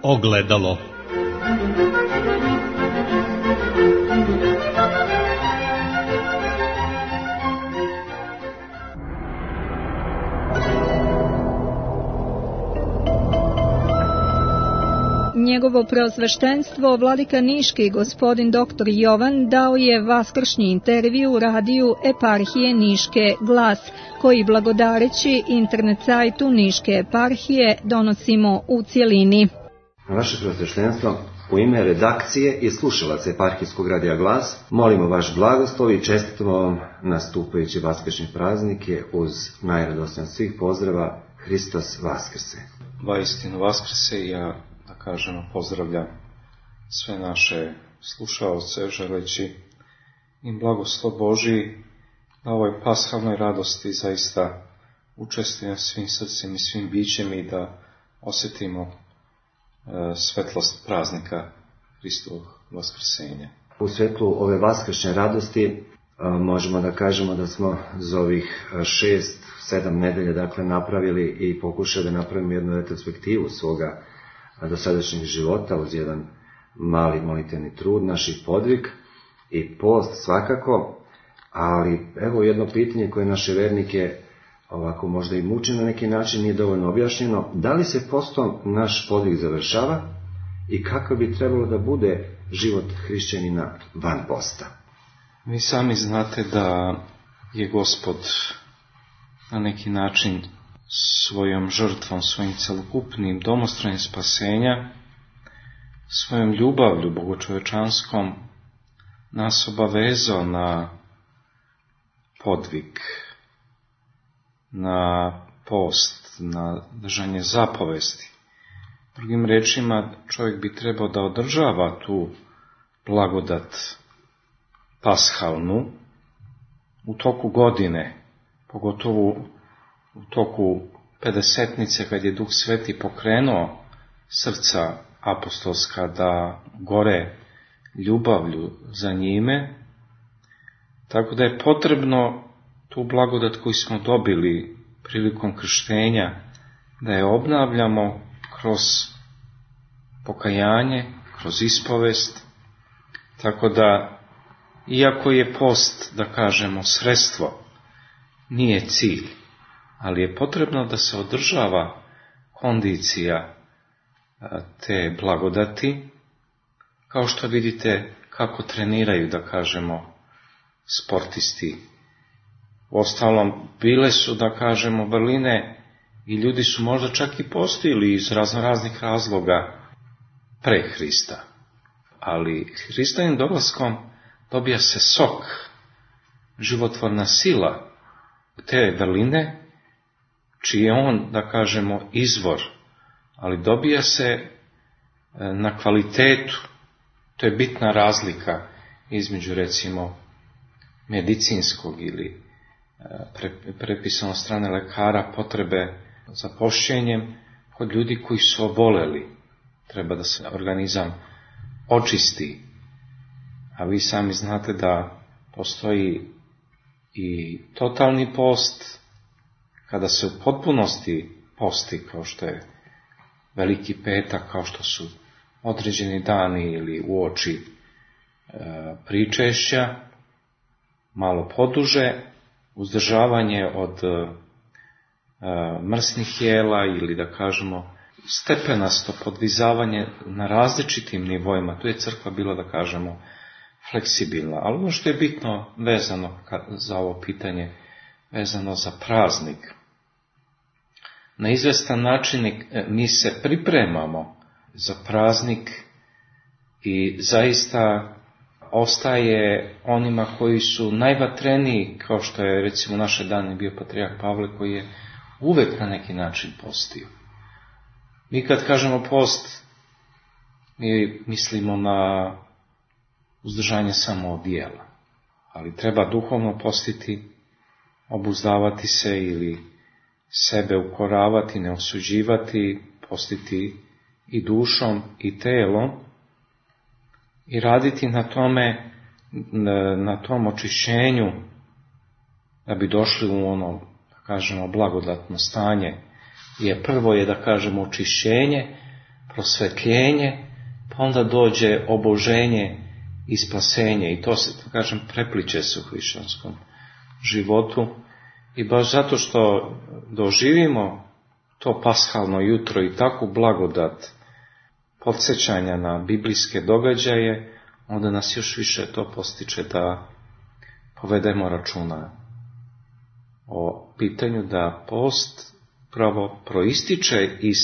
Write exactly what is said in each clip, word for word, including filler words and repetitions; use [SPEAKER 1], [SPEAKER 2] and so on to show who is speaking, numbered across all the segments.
[SPEAKER 1] Ogledalo.
[SPEAKER 2] Njegovo preosveštenstvo vladika Niški gospodin doktor Jovan dao je vaskršnji intervju u radiju eparhije Niške Glas, koji blagodareći internet sajtu Niške eparhije donosimo u cjelini.
[SPEAKER 3] Vaše preosveštenstvo, u ime redakcije i slušalaca eparhijskog radija Glas, molimo vaš blagoslov i čestitamo vam nastupajuće vaskršnje praznike uz najradosnije svih pozdrava Hristos Vaskrse.
[SPEAKER 4] Vaistinu Vaskrse, ja da kažemo pozdravljam sve naše slušaoce, želeći im blagoslov Božji na ovoj pashalnoj radosti zaista učestvujemo svim srcem i svim bićem i da osjetimo e, svetlost praznika Hristovog vaskrsenja.
[SPEAKER 3] U svetlu ove vaskršnje radosti e, možemo da kažemo da smo za ovih šest, sedam nedelja dakle napravili i pokušali da napravimo jednu retrospektivu svoga dosadašnjeg života uz jedan mali molitveni trud, naših podvig i post svakako, ali evo jedno pitanje koje naše vernike ovako možda i muči na neki način, nije dovoljno objašnjeno. Da li se postom naš podvig završava i kako bi trebalo da bude život hrišćanina van posta?
[SPEAKER 4] Vi sami znate da je Gospod na neki način svojom žrtvom, svojim celokupnim domostrojem spasenja, svojom ljubavlju bogočovečanskom nas obavezao na podvig, na post, na držanje zapovesti. Drugim rečima, čovjek bi trebao da održava tu blagodat pashalnu u toku godine, pogotovo u toku pedesetnice, kad je Duh Sveti pokrenuo srca apostolska da gore ljubavlju za njime, tako da je potrebno tu blagodat koju smo dobili prilikom krštenja, da je obnavljamo kroz pokajanje, kroz ispovest, tako da, iako je post, da kažemo, sredstvo, nije cilj, ali je potrebno da se održava kondicija te blagodati, kao što vidite kako treniraju, da kažemo, sportisti. Uostalom, bile su, da kažemo, vrline i ljudi su možda čak i postojili iz raznoraznih razloga pre Hrista. Ali Hristovim dolaskom dobija se sok, životvorna sila te vrline, čiji je on, da kažemo, izvor, ali dobija se na kvalitetu. To je bitna razlika između, recimo, medicinskog ili prepisano od strane lekara potrebe za pošćenjem kod ljudi koji su oboleli. Treba da se organizam očisti. A vi sami znate da postoji i totalni post, kada se u potpunosti posti, kao što je Veliki petak, kao što su određeni dani ili uoči e, pričešća, malo poduže, uzdržavanje od e, mrsnih jela ili, da kažemo, stepenasto podvizavanje na različitim nivoima. Tu je crkva bila, da kažemo, fleksibilna. Ali ono što je bitno vezano za ovo pitanje, vezano za praznik, na izvestan način mi se pripremamo za praznik i zaista ostaje onima koji su najvatreniji, kao što je recimo naše dane bio patrijarh Pavle, koji je uvek na neki način postio. Mi kad kažemo post, mi mislimo na uzdržanje samo od jela, ali treba duhovno postiti, obuzdavati se ili sebe ukoravati, ne osuđivati, postiti i dušom i telom i raditi na tome, na tom očišćenju, da bi došli u ono, da kažemo, blagodatno stanje. Jer prvo je, da kažemo, očišćenje, prosvetljenje, pa onda dođe oboženje i spasenje. I to se, kažem, prepliče se u hrišćanskom životu. I baš zato što doživimo to pashalno jutro i takvu blagodat podsjećanja na biblijske događaje, onda nas još više to postiče da povedemo računa o pitanju da post pravo proističe iz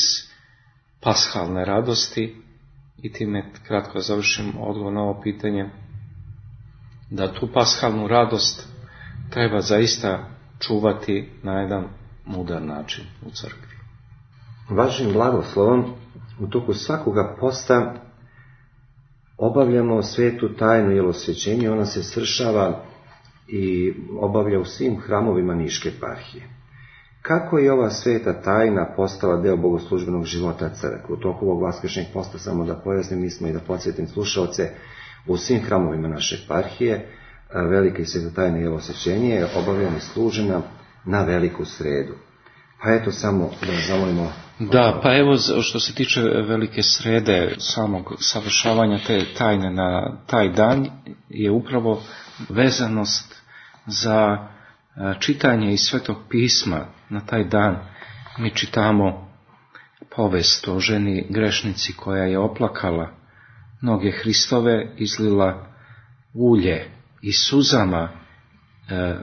[SPEAKER 4] pashalne radosti. I time kratko završim odgovor na ovo pitanje, da tu pashalnu radost treba zaista čuvati na jedan mudar način u crkvi.
[SPEAKER 3] Vašim blagoslovom u toku svakoga posta obavljamo svetu tajnu jelosvećenje. Ona se svršava i obavlja u svim hramovima Niške eparhije. Kako je ova sveta tajna postala deo bogoslužbenog života crkve? U toku ovog vaskršnjeg posta, samo da pojasnim, mi smo i da podsjetim slušalce, u svim hramovima naše eparhije velika i sveta tajna jelosvećenje je obavljena i služena na veliku sredu. Pa eto, samo da zamolimo.
[SPEAKER 4] Da, pa evo, što se tiče velike srede, samog savršavanja te tajne na taj dan, je upravo vezanost za čitanje iz Svetog pisma. Na taj dan mi čitamo povest o ženi grešnici koja je oplakala noge Hristove, izlila ulje i suzama e,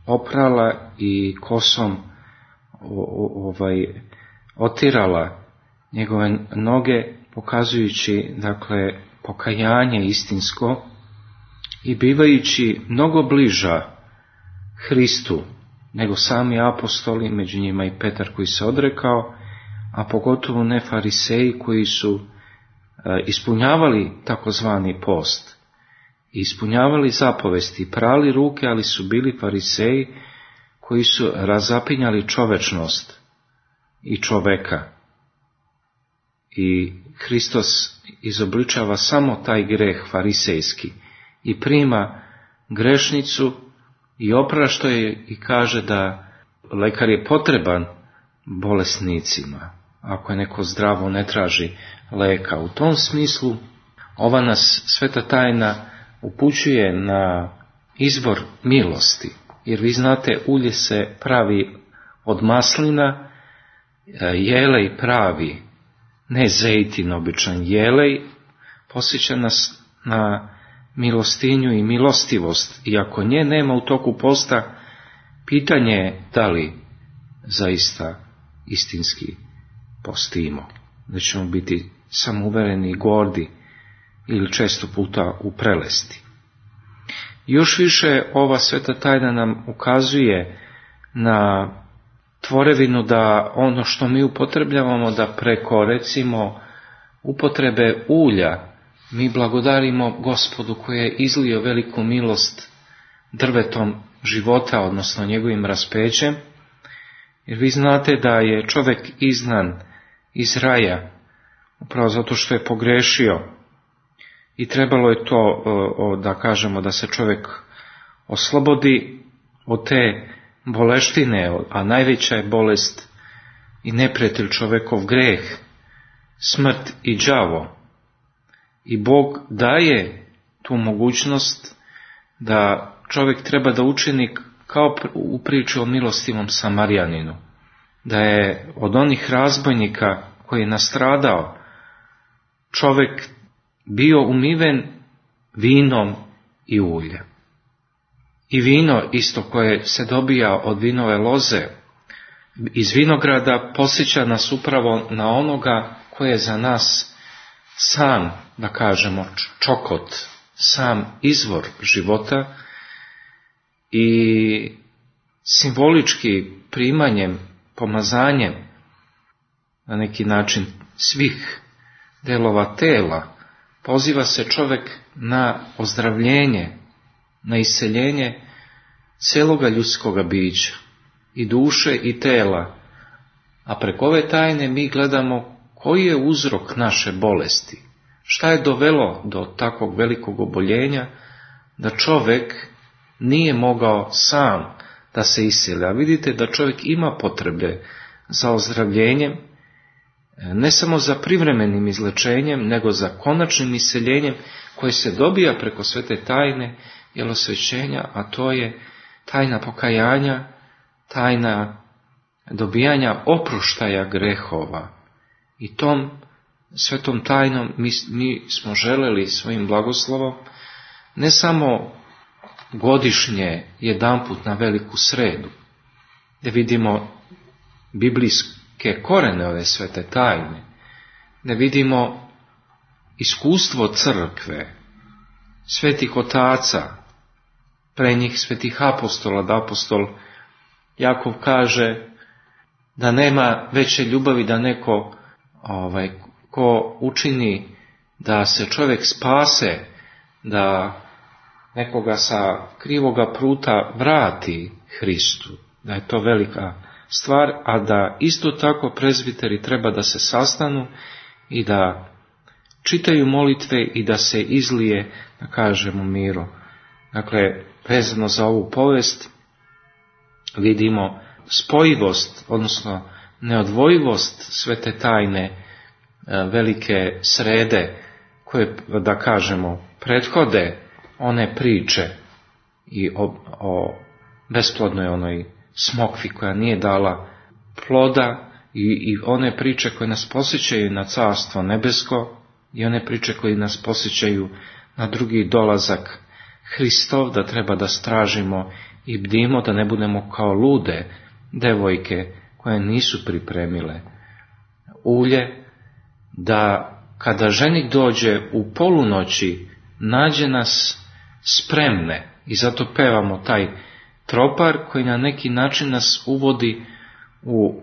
[SPEAKER 4] oprala i kosom o, ovaj, otirala njegove noge, pokazujući, dakle, pokajanje istinsko i bivajući mnogo bliža Hristu nego sami apostoli, među njima i Petar koji se odrekao, a pogotovo ne fariseji koji su e, ispunjavali takozvani post, ispunjavali zapovesti, prali ruke, ali su bili fariseji koji su razapinjali čovečnost i čoveka. I Hristos izobličava samo taj greh farisejski i prima grešnicu i oprašta je i kaže da lekar je potreban bolesnicima. Ako je neko zdravo, ne traži leka. U tom smislu ova nas sveta tajna upućuje na izbor milosti. Jer vi znate, ulje se pravi od maslina, jelej pravi, ne zejtin običan, jelej posjeća nas na milostinju i milostivost. I ako nje nema u toku posta, pitanje je da li zaista istinski postimo. Da ćemo biti samouvereni i gordi ili često puta u prelesti. Još više ova sveta tajna nam ukazuje na tvorevinu da ono što mi upotrebljavamo, da preko recimo upotrebe ulja mi blagodarimo Gospodu koji je izlio veliku milost drvetom života, odnosno njegovim raspećem. Jer vi znate da je čovjek izgnan iz raja upravo zato što je pogrešio i trebalo je to, da kažemo, da se čovjek oslobodi od te boleštine, a najveća je bolest i neprijatelj čovjekov greh, smrt i đavo. I Bog daje tu mogućnost da čovjek treba da učini kao u priči o milostivom Samarijaninu, da je od onih razbojnika koji je nastradao čovjek bio umiven vinom i uljem. I vino isto koje se dobija od vinove loze iz vinograda posjeća nas upravo na onoga koji je za nas sam, da kažemo, čokot, sam izvor života i simbolički primanjem, pomazanjem na neki način svih delova tela poziva se čovjek na ozdravljenje, na isceljenje cijeloga ljudskoga bića, i duše i tela, a preko ove tajne mi gledamo koji je uzrok naše bolesti, šta je dovelo do takvog velikog oboljenja, da čovjek nije mogao sam da se isceli. A vidite da čovjek ima potrebe za ozdravljenjem ne samo za privremenim izlečenjem, nego za konačnim iseljenjem koje se dobija preko svete tajne jelosvećenja, a to je tajna pokajanja, tajna dobijanja oproštaja grehova. I tom svetom tajnom mi, mi smo želeli svojim blagoslovom ne samo godišnje jedanput na veliku sredu, da vidimo biblijske korene ove svete tajne, da vidimo iskustvo crkve, svetih otaca, pre njih svetih apostola, da apostol Jakov kaže da nema veće ljubavi da neko ovaj, ko učini da se čovjek spase, da nekoga sa krivoga puta vrati Hristu, da je to velika stvar, a da isto tako prezbiteri treba da se sastanu i da čitaju molitve i da se izlije, da kažemo, miro. Dakle, vezano za ovu povest vidimo spojivost, odnosno neodvojivost svete tajne velike srede koje, da kažemo, prethode one priče i o, o besplodnoj onoj smokvi koja nije dala ploda i, i one priče koje nas posjećaju na carstvo nebesko i one priče koje nas posjećaju na drugi dolazak Hristov, da treba da stražimo i bdimo da ne budemo kao lude devojke koje nisu pripremile ulje, da kada ženik dođe u polunoći nađe nas spremne, i zato pevamo taj tropar koji na neki način nas uvodi u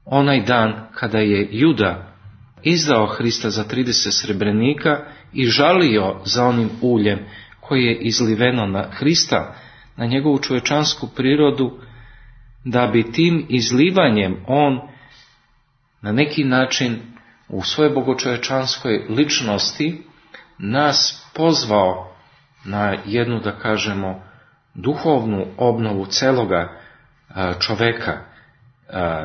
[SPEAKER 4] onaj dan kada je Juda izdao Hrista za trideset srebrenika i žalio za onim uljem koje je izliveno na Hrista, na njegovu čovječansku prirodu, da bi tim izlivanjem on na neki način u svojoj bogočovječanskoj ličnosti nas pozvao na jednu, da kažemo, duhovnu obnovu celoga čoveka.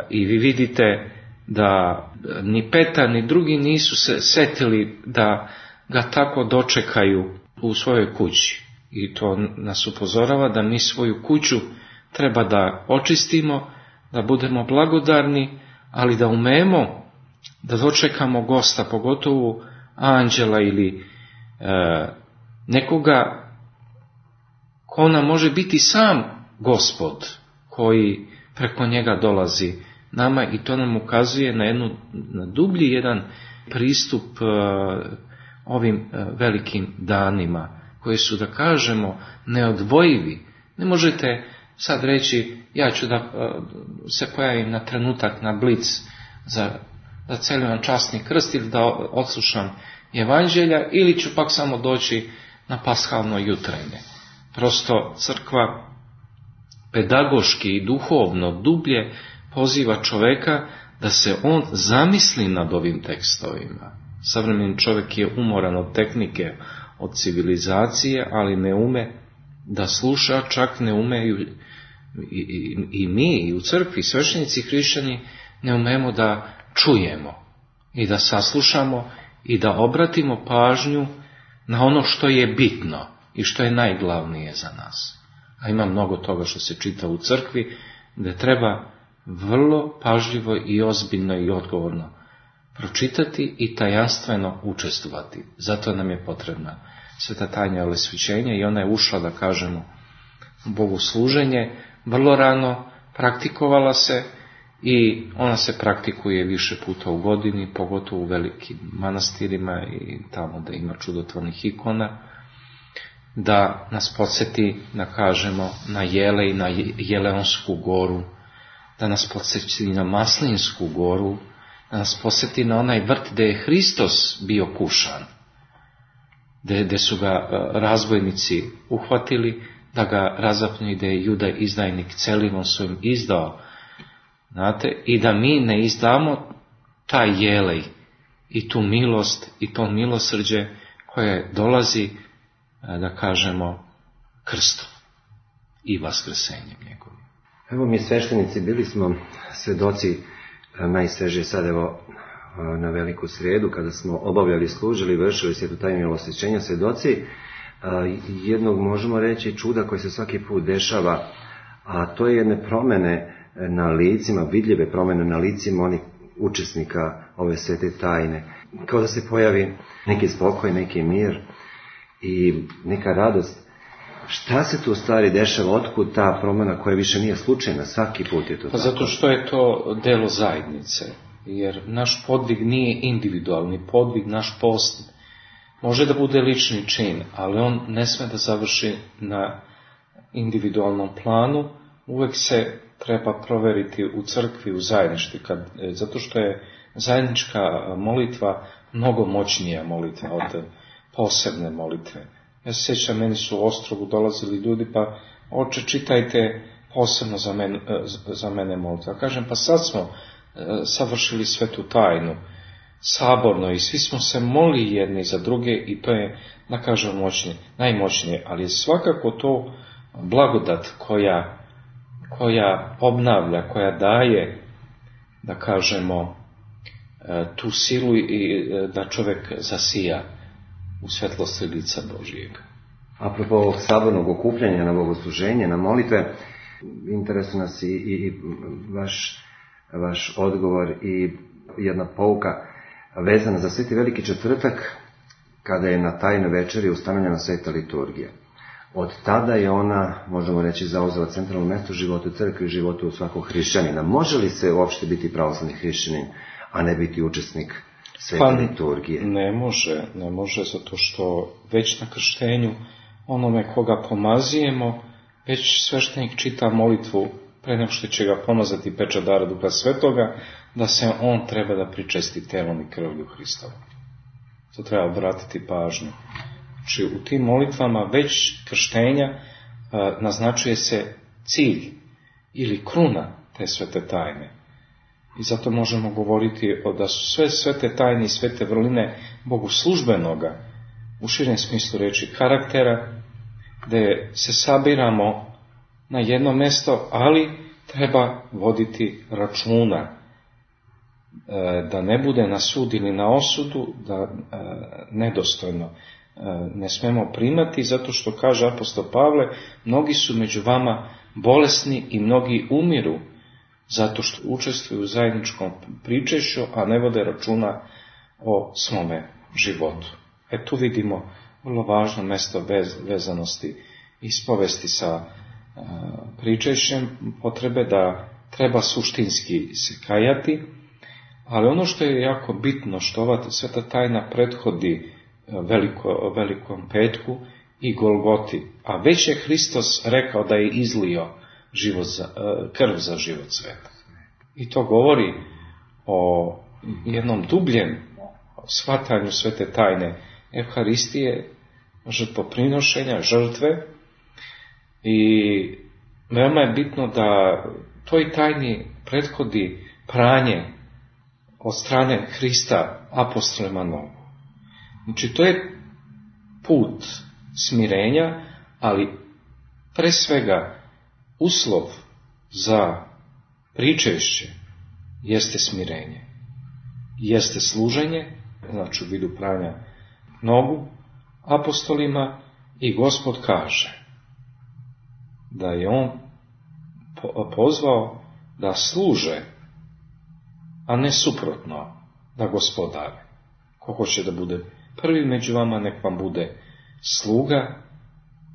[SPEAKER 4] I vi vidite da ni Petar ni drugi nisu se setili da ga tako dočekaju u svojoj kući. I to nas upozorava da mi svoju kuću treba da očistimo, da budemo blagodarni, ali da umemo da dočekamo gosta, pogotovo anđela ili e, nekoga ko nam može biti sam Gospod, koji preko njega dolazi nama, i to nam ukazuje na jednu na dublji jedan pristup e, ovim e, velikim danima, koji su, da kažemo, neodvojivi. Ne možete sad reći, ja ću da e, se pojavim na trenutak na blic za da celivam časni krst ili da odslušam evanđelja, ili ću pak samo doći na pashalno jutrenje. Prosto crkva pedagoški i duhovno dublje poziva čoveka da se on zamisli nad ovim tekstovima. Savremeni čovjek je umoran od tehnike, od civilizacije, ali ne ume da sluša, čak ne umeju i, i, i mi i u crkvi, sveštenici hrišćani, ne umemo da čujemo i da saslušamo i da obratimo pažnju na ono što je bitno i što je najglavnije za nas. A ima mnogo toga što se čita u crkvi, gdje treba vrlo pažljivo i ozbiljno i odgovorno pročitati i tajanstveno učestvovati. Zato nam je potrebna sveta tajna jelosvećenja i ona je ušla, da kažemo, u bogosluženje vrlo rano, praktikovala se i ona se praktikuje više puta u godini, pogotovo u velikim manastirima i tamo da ima čudotvornih ikona, da nas podsjeti, da kažemo, na Jele i na Jeleonsku goru, da nas podsjeti na Maslinsku goru, da nas podsjeti na onaj vrt gdje je Hristos bio kušan, gdje, gdje su ga razbojnici uhvatili, da ga razapnu i da je Juda izdajnik celivom svojim izdao. Znate, i da mi ne izdamo taj jelej i tu milost i to milosrđe koje dolazi, da kažemo, krstom i vaskrsenjem njegovim.
[SPEAKER 3] Evo mi sveštenici bili smo svedoci najsvežije sad evo na Veliku srijedu, kada smo obavljali, služili, vršili svetu tajnu milosrđenja, svjedoci jednog, možemo reći, čuda koje se svaki put dešava, a to je jedne promjene na licima, vidljive promjene na licima onih učesnika ove svete tajne. Kao da se pojavi neki spokoj, neki mir i neka radost. Šta se tu u stvari dešava, otkud ta promjena koja više nije slučajna, svaki put je to
[SPEAKER 4] pa
[SPEAKER 3] tako?
[SPEAKER 4] Zato što je to delo zajednice, jer naš podvig nije individualni podvig, naš post može da bude lični čin, ali on ne sme da završi na individualnom planu, uvek se treba proveriti u crkvi, u zajedništvu, kad, zato što je zajednička molitva mnogo moćnija molitva od posebne molitve. Ja se sjećam, meni su u Ostrogu dolazili ljudi, pa oče, čitajte posebno za mene, za mene molitva. Kažem, pa sad smo savršili svetu tajnu, saborno, i svi smo se molili jedni za druge, i to je, da kažem, moćnije, najmoćnije, ali je svakako to blagodat koja, koja obnavlja, koja daje, da kažemo, tu silu i da čovjek zasija u svetlosti lica Božijeg.
[SPEAKER 3] Apropo ovog sabornog okupljanja na bogosluženje, na molitve, interesuje nas i, i, i vaš, vaš odgovor i jedna pouka vezana za Sveti Veliki četvrtak, kada je na tajnoj večeri ustanovljena sveta liturgija. Od tada je ona, možemo reći, zauzela centralno mjesto u životu crkve i životu u svakog hrišćanina. Može li se uopšte biti pravoslavni hrišćanin, a ne biti učesnik svete
[SPEAKER 4] pa,
[SPEAKER 3] liturgije?
[SPEAKER 4] Ne može, ne može, zato što već na krštenju onome koga pomazujemo, već sveštenik čita molitvu pre nego što će ga pomazati pečat dara Duha Svetoga, da se on treba da pričesti telom i krvlju Hristovom. To treba obratiti pažnju. Znači, u tim molitvama već krštenja a, naznačuje se cilj ili kruna te svete tajne. I zato možemo govoriti o da su sve svete tajne i svete vrline bogoslužbenoga, u širem smislu reči, karaktera, gdje se sabiramo na jedno mjesto, ali treba voditi računa da ne bude na sud ili na osudu, da nedostojno ne smemo primati, zato što kaže apostol Pavle, mnogi su među vama bolesni i mnogi umiru, zato što učestvuju u zajedničkom pričešću, a ne vode računa o svome životu. E tu vidimo vrlo važno mjesto vez, vezanosti ispovesti sa uh, pričešćem, potrebe da treba suštinski se kajati, ali ono što je jako bitno, što ova sveta tajna prethodi veliko, velikom petku i Golgoti, a već je Hristos rekao da je izlio život za, krv za život sveta. I to govori o jednom dubljem shvatanju svete tajne Evharistije, žrtvoprinošenja, žrtve, i veoma je bitno da toj tajni prethodi pranje od strane Hrista apostolima nogu. Znači, to je put smirenja, ali pre svega uslov za pričešće jeste smirenje, jeste služenje, znači u vidu pranja nogu apostolima, i Gospod kaže da je on pozvao da služe, a ne suprotno, da gospodare. Ko hoće da bude prvi među vama, nek vam bude sluga,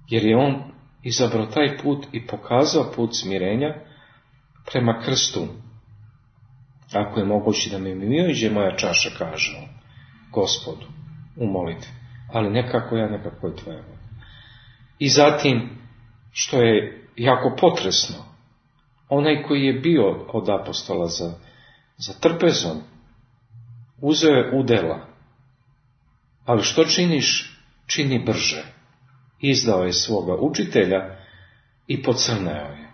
[SPEAKER 4] jer je on izabrao taj put i pokazao put smirenja prema krstu. Ako je moguće da mi mimoiđe moja čaša, kaže on Gospodu u molitvi, ali nekako ja, nekako je tvoja. I zatim, što je jako potresno, onaj koji je bio od apostola za, za trpezom, uzeo je udela, ali što činiš, čini brže. Izdao je svoga učitelja i pocrneo je.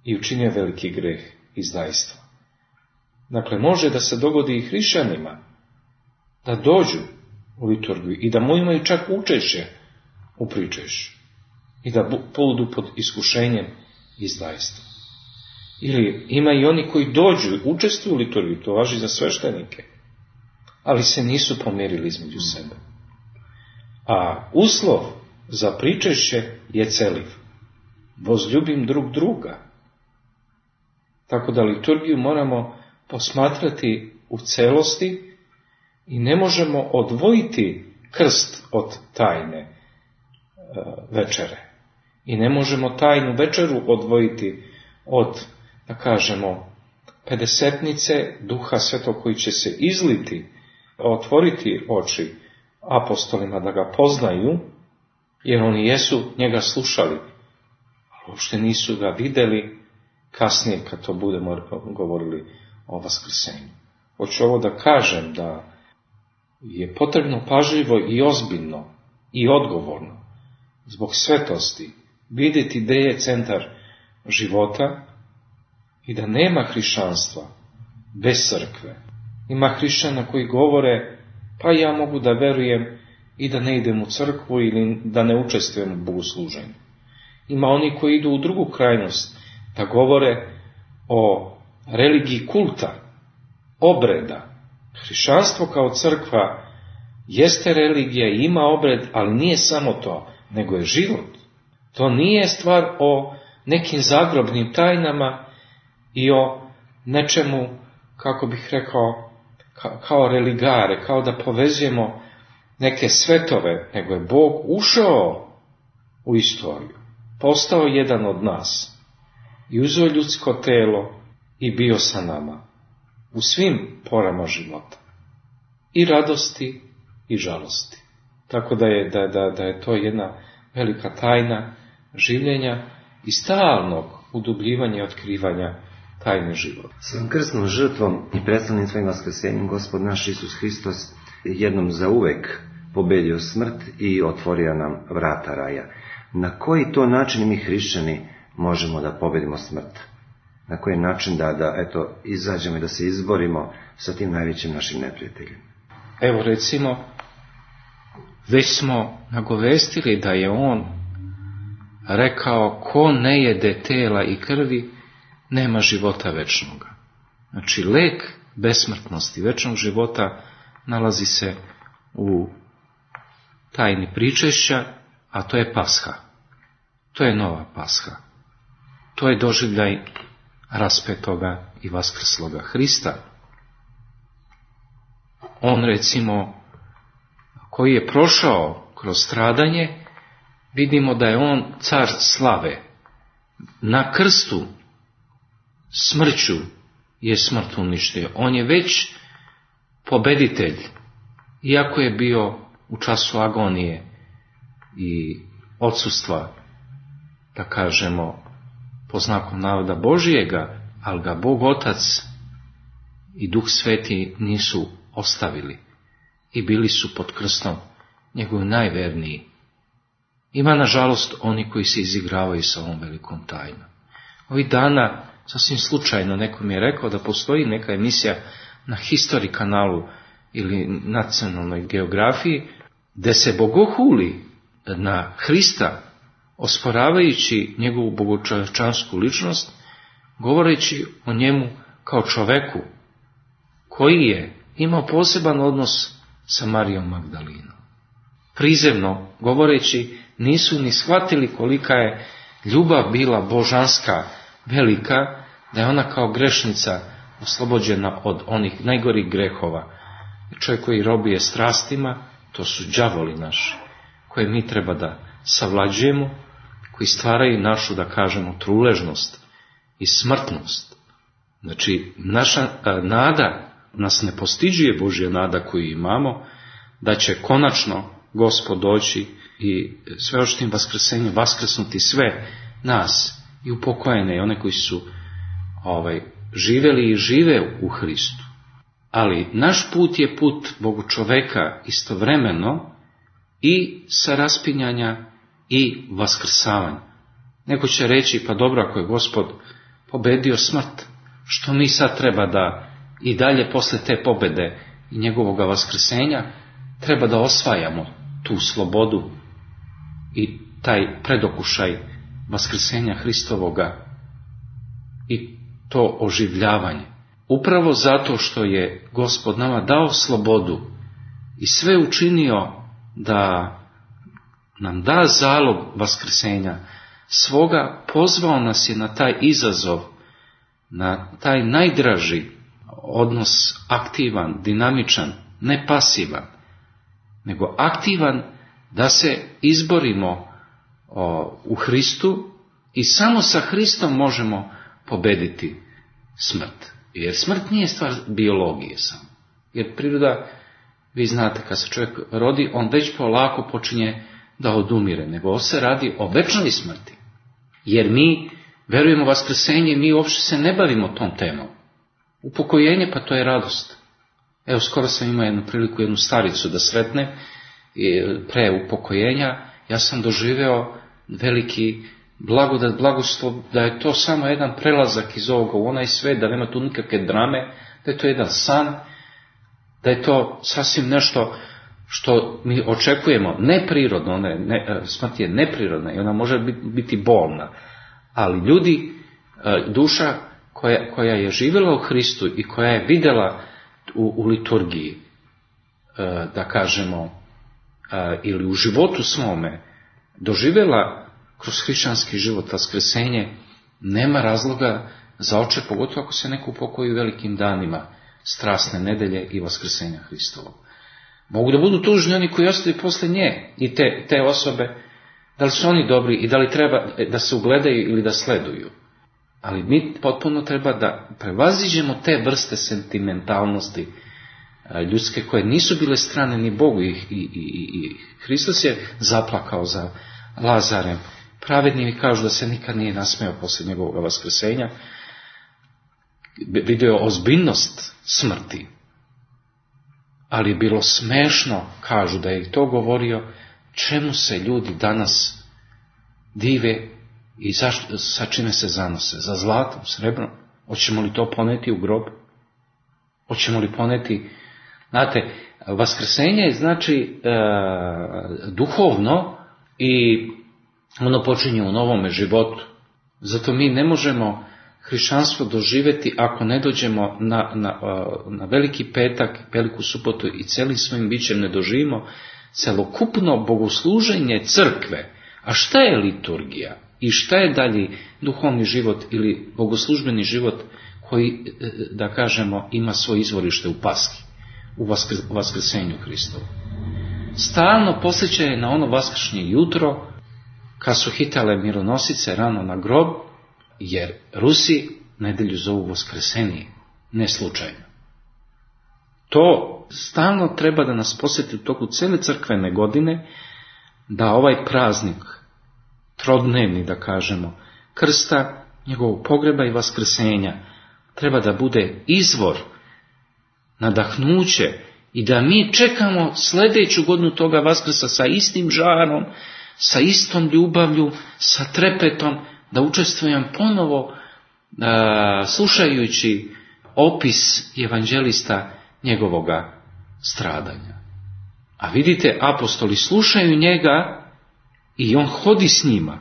[SPEAKER 4] I učinio veliki greh izdajstva. Dakle, može da se dogodi i hrišćanima da dođu u liturgiju i da mu imaju čak učešće u pričešću i da poludu pod iskušenjem izdajstva. Ili ima i oni koji dođu, učestvuju u liturgiji, to važi za sveštenike, ali se nisu pomirili između sebe. A uslov za pričešće je celiv. Возljubim drug druga. Tako da liturgiju moramo posmatrati u celosti i ne možemo odvojiti krst od tajne e, večere. I ne možemo tajnu večeru odvojiti od, da kažemo, pedesetnice Duha Svetog koji će se izliti, otvoriti oči apostolima da ga poznaju, jer oni jesu njega slušali, ali uopšte nisu ga videli kasnije kad to budemo govorili o vaskrsenju. Hoću ovo da kažem da je potrebno pažljivo i ozbiljno i odgovorno zbog svetosti vidjeti gde je centar života i da nema hrišćanstva bez crkve. Ima hrišćana koji govore, pa ja mogu da verujem i da ne idem u crkvu ili da ne učestvujem u bogosluženju. Ima oni koji idu u drugu krajnost, da govore o religiji kulta, obreda. Hrišćanstvo kao crkva jeste religija i ima obred, ali nije samo to, nego je život. To nije stvar o nekim zagrobnim tajnama i o nečemu, kako bih rekao, ka, kao religare, kao da povezujemo neke svetove, nego je Bog ušao u istoriju, postao jedan od nas i uzeo ljudsko telo i bio sa nama u svim porama života, i radosti i žalosti. Tako da je, da, da, da je to jedna velika tajna življenja i stalnog udubljivanja i otkrivanja tajne života.
[SPEAKER 3] Svojom krsnom žrtvom i predstavnim svojim vaskrsenjem Gospod naš Isus Hristos jednom zauvek pobedio smrt i otvorio nam vrata raja. Na koji to način mi hrišćani možemo da pobedimo smrt? Na koji način da, da eto, izađemo i da se izborimo sa tim najvećim našim neprijateljem?
[SPEAKER 4] Evo recimo, već smo nagovestili da je on rekao, ko ne jede tela i krvi, nema života večnoga. Znači, lek besmrtnosti večnog života nalazi se u tajni pričešća, a to je Pasha. To je nova Pasha. To je doživljaj raspetoga i vaskrsloga Hrista. On, recimo, koji je prošao kroz stradanje, vidimo da je on car slave. Na krstu smrću je smrt uništio. On je već pobeditelj, iako je bio u času agonije i odsustva, da kažemo, po znaku navoda Božijega, ali ga Bog Otac i Duh Sveti nisu ostavili i bili su pod krstom njegovi najverniji. Ima, nažalost, oni koji se izigravaju sa ovom velikom tajnom. Ovih dana, sasvim slučajno, neko mi je rekao da postoji neka emisija na History kanalu ili nacionalnoj geografiji, gde se bogohuli na Hrista, osporavajući njegovu bogočovečansku ličnost, govoreći o njemu kao čoveku koji je imao poseban odnos sa Marijom Magdalinom. Prizemno govoreći, nisu ni shvatili kolika je ljubav bila božanska, velika, da je ona kao grešnica oslobođena od onih najgorih grehova. Čovjek koji robije strastima, to su đavoli naši, koje mi treba da savlađujemo, koji stvaraju našu, da kažemo, truležnost i smrtnost. Znači, naša a, nada nas ne postiđuje, Božja nada koju imamo, da će konačno Gospod doći i sveočnim vaskrsenjem vaskrsnuti sve nas i upokojene i one koji su ovaj, živeli i žive u Hristu. Ali naš put je put Bogu čoveka istovremeno i sa raspinjanja i vaskrsavanja. Neko će reći, pa dobro, ako je Gospod pobedio smrt, što mi sad treba da i dalje posle te pobede i njegovog vaskrsenja treba da osvajamo tu slobodu i taj predokušaj vaskrsenja Hristovoga i to oživljavanje. Upravo zato što je Gospod nama dao slobodu i sve učinio da nam da zalog vaskrsenja svoga, pozvao nas je na taj izazov, na taj najdraži odnos, aktivan, dinamičan, ne pasivan, nego aktivan, da se izborimo o, u Hristu i samo sa Hristom možemo pobediti smrt. Jer smrt nije stvar biologije samo. Jer priroda, vi znate, kad se čovjek rodi, on već polako počinje da odumire, nego se radi o večnoj smrti. Jer mi verujemo u vaskrsenje, mi uopšte se ne bavimo tom temom. Upokojenje, pa to je radost. Evo, skoro sam imao jednu priliku, jednu staricu da sretne, pre upokojenja, ja sam doživeo veliki blagodat, blagoslov, da je to samo jedan prelazak iz ovoga u onaj svet, da nema tu nikakve drame, da je to jedan san, da je to sasvim nešto što mi očekujemo, neprirodno, ne, ne, smrt je neprirodna i ona može biti bolna, ali ljudi, duša koja, koja je živjela u Hristu i koja je vidjela u, u liturgiji, da kažemo, ili u životu svome, doživjela kroz hrišćanski život vaskrsenje, nema razloga za oče, pogotovo ako se neko upokoji u velikim danima strasne nedelje i vaskrsenja Hristovog. Mogu da budu tužni oni koji ostaju posle nje i te, te osobe, da li su oni dobri i da li treba da se ugledaju ili da sleduju. Ali mi potpuno treba da prevaziđemo te vrste sentimentalnosti ljudske koje nisu bile strane ni Bogu i, i, i, i Hristos je zaplakao za Lazarem. Pravedni mi kažu da se nikad nije nasmejao posle njegovog vaskrsenja. Vidio je ozbiljnost smrti. Ali je bilo smešno, kažu da je i to govorio, čemu se ljudi danas dive i zašto, sa čime se zanose? Za zlatom, srebrom? Hoćemo li to poneti u grob? Hoćemo li poneti... Znate, vaskrsenje je znači e, duhovno i ono počinje u novome životu. Zato mi ne možemo hrišćanstvo doživjeti ako ne dođemo na, na, na veliki petak, veliku subotu i celim svojim bićem ne doživimo celokupno bogosluženje crkve. A šta je liturgija? I šta je dalji duhovni život ili bogoslužbeni život koji, da kažemo, ima svoje izvorište u Paski, u vaskrsenju Hristovu? Stalno posjećaje na ono vaskršnje jutro, kad su hitale mironosice rano na grob, jer Rusi nedelju zovu Voskresenije, ne slučajno. To stalno treba da nas posjeti u toku cele crkvene godine, da ovaj praznik, trodnevni da kažemo, krsta, njegovog pogreba i vaskrsenja, treba da bude izvor, nadahnuće i da mi čekamo sljedeću godinu toga vaskrsa sa istim žarom, sa istom ljubavlju, sa trepetom, da učestvujem ponovo a, slušajući opis evanđelista njegovoga stradanja. A vidite, apostoli slušaju njega i on hodi s njima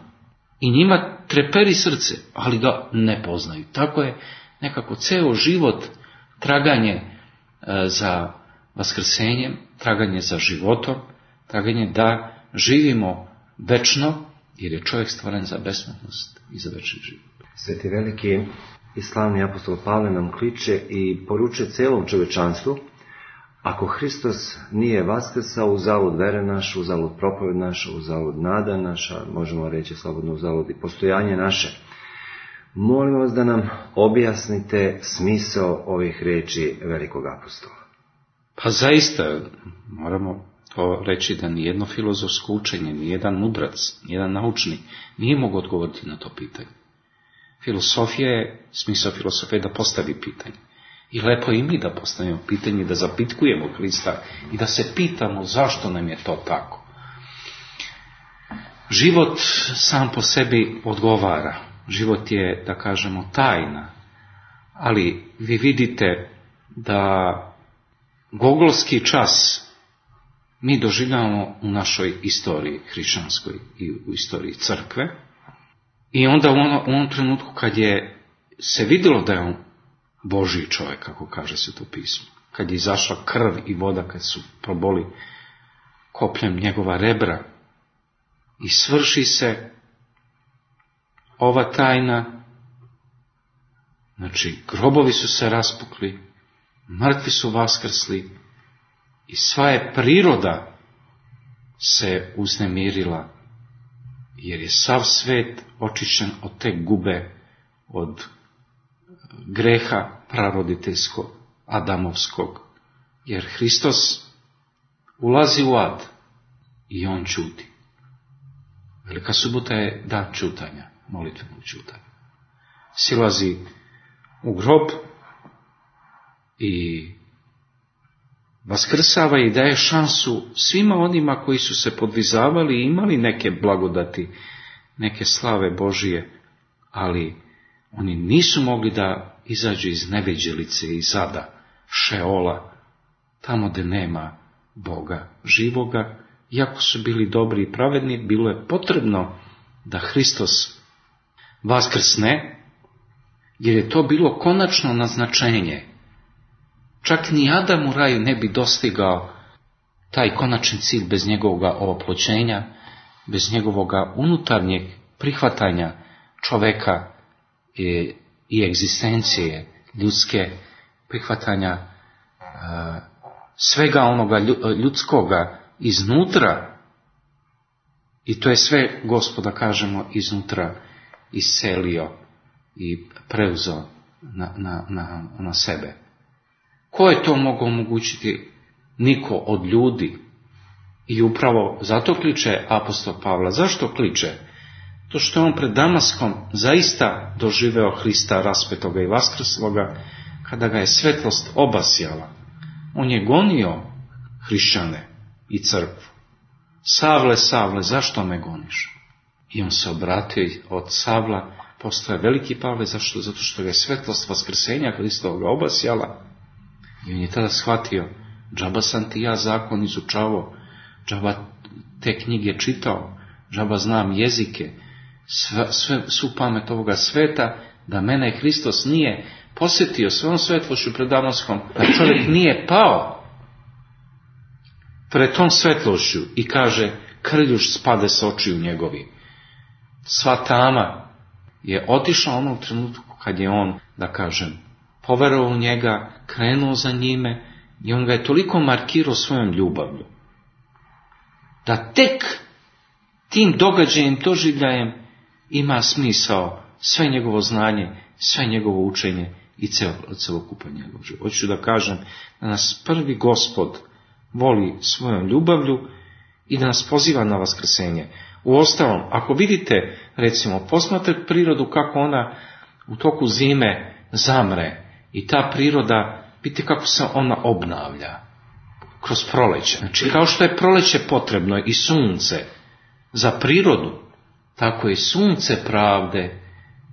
[SPEAKER 4] i njima treperi srce, ali ga ne poznaju. Tako je nekako ceo život traganje a, za vaskrsenjem, traganje za životom, traganje da živimo večno, jer je čovjek stvoren za besmrtnost i za večni život.
[SPEAKER 3] Sveti veliki i slavni apostol Pavle nam kliče i poručuje celom čovečanstvu: ako Hristos nije vaskrsao, uzalud vere naša, uzalud propoved naša, uzalud nada naša, možemo reći slobodno uzalud i postojanje naše. Molim vas da nam objasnite smisao ovih riječi velikog apostola.
[SPEAKER 4] Pa zaista moramo to reći da nijedno filozofsko učenje, nijedan mudrac, nijedan naučni nije mogu odgovoriti na to pitanje. Filosofija je, smisao filosofije je da postavi pitanje. I lepo i mi da postavimo pitanje, da zapitkujemo Hrista i da se pitamo zašto nam je to tako. Život sam po sebi odgovara. Život je, da kažemo, tajna. Ali vi vidite da gogolski čas mi doživljavamo u našoj istoriji hrišćanskoj i u istoriji crkve. I onda u, ono, u onom trenutku kad je se vidjelo da je on Božji čovjek, kako kaže se to pismo. Kad je izašla krv i voda, kad su proboli kopljem njegova rebra, i svrši se ova tajna, znači grobovi su se raspukli, mrtvi su vaskrsli i sva je priroda se uznemirila, jer je sav svet očišćen od te gube, od greha praroditeljskog, adamovskog, jer Hristos ulazi u ad i on ćuti. Velika subota je dan ćutanja, molitvenog ćutanja. Silazi u grob i vaskrsava i daje šansu svima onima koji su se podvizavali i imali neke blagodati, neke slave Božije, ali oni nisu mogli da izađu iz neviđelice, iz ada, Šeola, tamo gdje nema Boga živoga. Iako su bili dobri i pravedni, bilo je potrebno da Hristos vaskrsne, jer je to bilo konačno naznačenje. Čak ni Adam u raju ne bi dostigao taj konačni cilj bez njegovog oploćenja, bez njegovog unutarnjeg prihvatanja čoveka i, i egzistencije ljudske, prihvatanja uh, svega onoga ljudskoga iznutra, i to je sve, Gospoda, kažemo, iznutra iselio i preuzeo na, na, na, na sebe. Ko je to mogao omogućiti? Niko od ljudi. I upravo zato kliče apostol Pavla. Zašto kliče? To što je on pred Damaskom zaista doživeo Hrista raspetoga i vaskrsloga, kada ga je svetlost obasjala. On je gonio hrišćane i crkvu. Savle, Savle, zašto me goniš? I on se obratio od Savla, postoje veliki Pavle, zašto? Zato što ga je svetlost vaskrsenja Hristovoga obasjala. I on je tada shvatio, džaba sam ti ja zakon izučavao, džaba te knjige čitao, džaba znam jezike, sve, sve, svu pamet ovoga sveta, da mene Hristos nije posjetio svojom svetlošću pred Damaskom, da čovjek nije pao pred tom svetlošću i kaže, krljuš spade s očiju njegovi. Sva tama je otišla onog trenutku kad je on, da kažem, poverovao u njega, krenuo za njime i on ga je toliko markirao svojom ljubavlju, da tek tim događajem, doživljajem ima smisao sve njegovo znanje, sve njegovo učenje i celokupan njegov život. Hoću da kažem da nas prvi Gospod voli svojom ljubavlju i da nas poziva na vaskrsenje. Uostalom, ako vidite, recimo, posmatrate prirodu kako ona u toku zime zamre i ta priroda, vidite kako se ona obnavlja kroz proleće. Znači, kao što je proleće potrebno i sunce za prirodu, tako je sunce pravde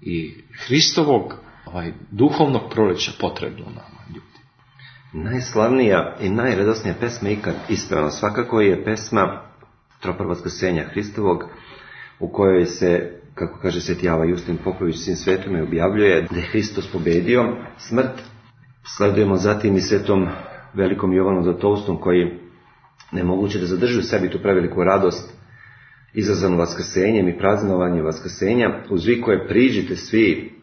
[SPEAKER 4] i Hristovog ovaj, duhovnog proleća potrebno nama, ljudi.
[SPEAKER 3] Najslavnija i najradosnija pesma ikad ispevana svakako je pesma Tropar vaskrsenja Hristovog, u kojoj se, kako kaže sveti Java Justin Popović, sin svetome, objavljuje da je Hristos pobedio smrt. Sledujemo zatim i svetom velikom Jovanom Zlatoustom, koji nemoguće da zadrži u sebi tu preveliku radost izazvanu vaskrsenjem i praznovanjem vaskrsenja, uz vi koje priđite svi,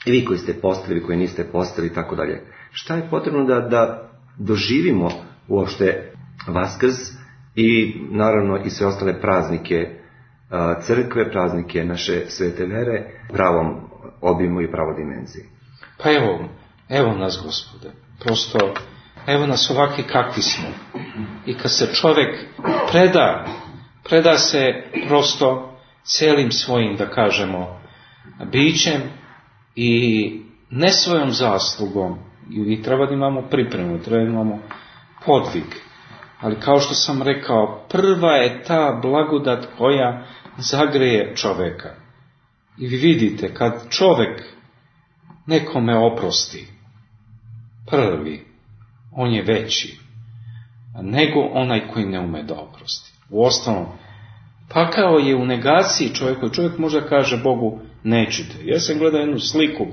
[SPEAKER 3] i vi koji ste postali, vi koji niste postali, i tako dalje. Šta je potrebno da, da doživimo uopšte Vaskrs i naravno i sve ostale praznike crkve, praznike naše svete vere, pravom obimu i pravoj dimenziji?
[SPEAKER 4] Pa evo, evo nas, Gospode, prosto, evo nas ovakvi kakvi smo. I kad se čovjek preda, preda se prosto cijelim svojim, da kažemo, bićem i ne svojom zaslugom, i treba da imamo pripremu, treba da imamo podvig. Ali kao što sam rekao, prva je ta blagodat koja zagreje čovjeka. I vi vidite, kad čovjek nekome oprosti, prvi, on je veći nego onaj koji ne ume da oprosti. Uostalom, pakao je u negaciji čovjeku. Čovjek možda kaže Bogu, nećete. Ja sam gledao jednu sliku